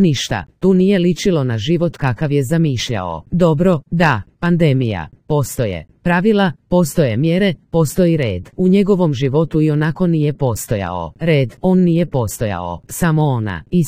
ništa, tu nije ličilo na život kakav je zamišljao. Dobro, da, pandemija, postoje pravila, postoje mjere, postoji red. U njegovom životu i onako nije postojao red, on nije postojao, samo ona. I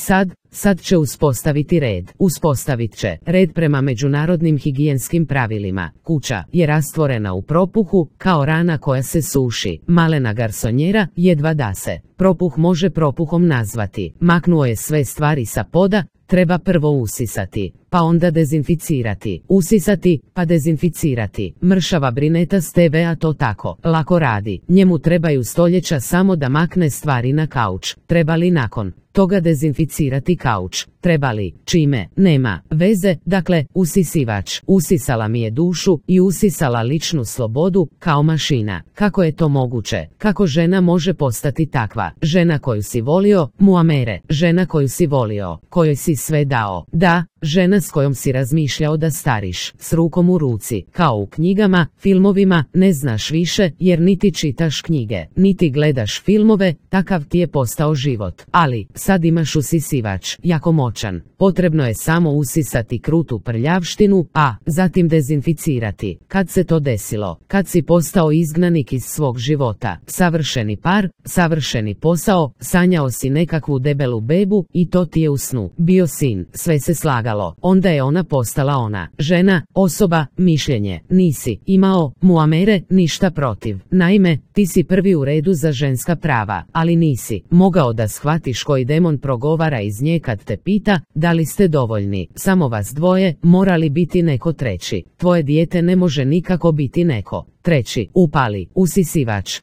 sad će uspostaviti red. Uspostavit će red prema međunarodnim higijenskim pravilima. Kuća je rastvorena u propuhu, kao rana koja se suši. Malena garsonjera jedva da se propuh može propuhom nazvati. Maknuo je sve stvari sa poda, treba prvo usisati, pa onda dezinficirati. Usisati, pa dezinficirati. Mršava brineta s TV-a to tako lako radi. Njemu trebaju stoljeća samo da makne stvari na kauč. Treba li nakon toga dezinficirati kauč? Treba li? Čime? Nema veze, dakle, usisivač. Usisala mi je dušu i usisala ličnu slobodu, kao mašina. Kako je to moguće? Kako žena može postati takva? Žena koju si volio, Muamere. Žena koju si volio, kojoj si sve dao. Da, žena s kojom si razmišljao da stariš, s rukom u ruci, kao u knjigama, filmovima, ne znaš više, jer niti čitaš knjige, niti gledaš filmove, takav ti je postao život. Ali, sad imaš usisivač, jako moćan. Potrebno je samo usisati krutu prljavštinu, a zatim dezinficirati. Kad se to desilo? Kad si postao izgnanik iz svog života. Savršeni par, savršeni posao, sanjao si nekakvu debelu bebu i to ti je u snu bio sin, sve se slagalo. Onda je ona postala ona. Žena, osoba, mišljenje. Nisi imao, Muamere, ništa protiv. Naime, ti si prvi u redu za ženska prava, ali nisi mogao da shvatiš koji demon progovara iz nje kad te pita da li ste dovoljni. Samo vas dvoje, mora li biti neko treći? Tvoje dijete ne može nikako biti neko treći. Upali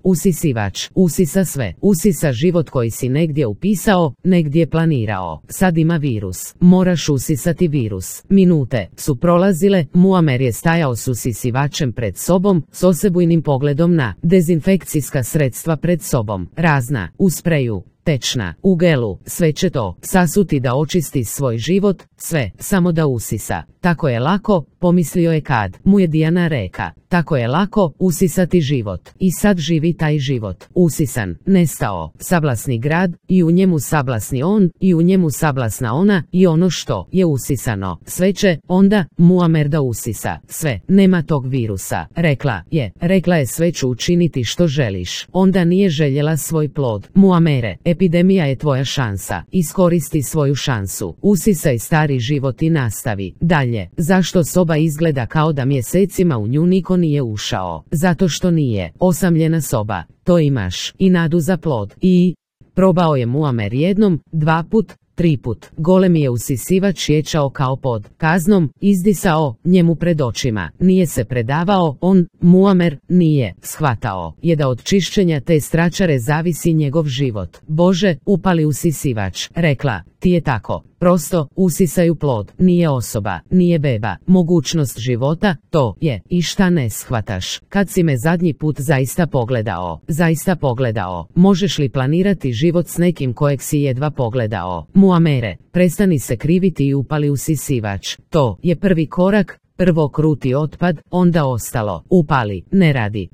usisivač, usisa sve. Usisa život koji si negdje upisao, negdje planirao. Sad ima virus. Moraš usisati virus. Minute su prolazile, Muamer je stajao s usisivačem pred sobom, s osebujnim pogledom na dezinfekcijska sredstva pred sobom. Razna, u spreju, tečna, u gelu, sve će to sasuti da očisti svoj život, sve, samo da usisa. Tako je lako, pomislio je kad mu je Dijana reka. Tako je lako usisati život. I sad živi taj život. Usisan, nestao, sablasni grad, i u njemu sablasni on, i u njemu sablasna ona, i ono što je usisano. Sve će, onda, Muamer da usisa. Sve, nema tog virusa. Rekla je sve ću učiniti što želiš. Onda nije željela svoj plod. Muamere, epidemija je tvoja šansa. Iskoristi svoju šansu. Usisaj stari život i nastavi dalje. Zašto soba izgleda kao da mjesecima u nju niko nije ušao? Zato što nije osamljena soba. To imaš i nadu za plod. I probao je Muamer jednom, 2 put, 3 put. Golemi je usisivač ječao kao pod kaznom, izdisao njemu pred očima. Nije se predavao, on, Muamer, nije shvatao je da od čišćenja te stračare zavisi njegov život. Bože, upali usisivač. Rekla, ti je tako. Prosto, usisaju plod. Nije osoba, nije beba. Mogućnost života, to je. I šta ne shvataš? Kad si me zadnji put zaista pogledao? Možeš li planirati život s nekim kojeg si jedva pogledao? Muamere, prestani se kriviti i upali usisivač. To je prvi korak. Prvo kruti otpad, onda ostalo. Upali, ne radi,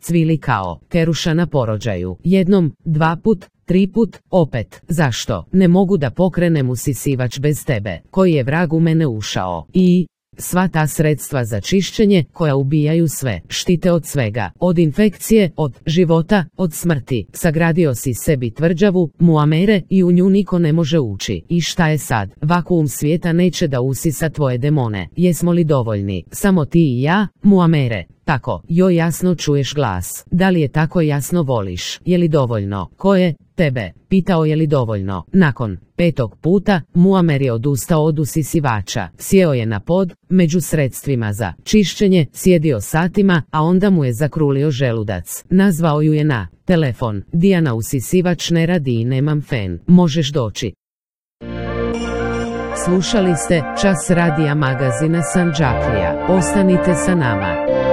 cvili kao keruša na porođaju. Jednom, 2 put, 3 put, opet. Zašto? Ne mogu da pokrenem usisivač bez tebe. Koji je vrag u mene ušao? I sva ta sredstva za čišćenje koja ubijaju sve, štite od svega, od infekcije, od života, od smrti. Sagradio si sebi tvrđavu, Muamere, i u nju niko ne može ući. I šta je sad? Vakuum svijeta neće da usisa tvoje demone. Jesmo li dovoljni? Samo ti i ja, Muamere. Tako, joj jasno čuješ glas. Da li je tako jasno voliš? Je li dovoljno? Ko je? Tebe. Pitao je li dovoljno. Nakon 5. puta, Muamer je odustao od usisivača. Sjeo je na pod, među sredstvima za čišćenje, sjedio satima, a onda mu je zakrulio želudac. Nazvao ju je na telefon. Dijana, usisivač ne radi i nemam fen. Možeš doći. Slušali ste Čas radija magazina Sandžaklija. Ostanite sa nama.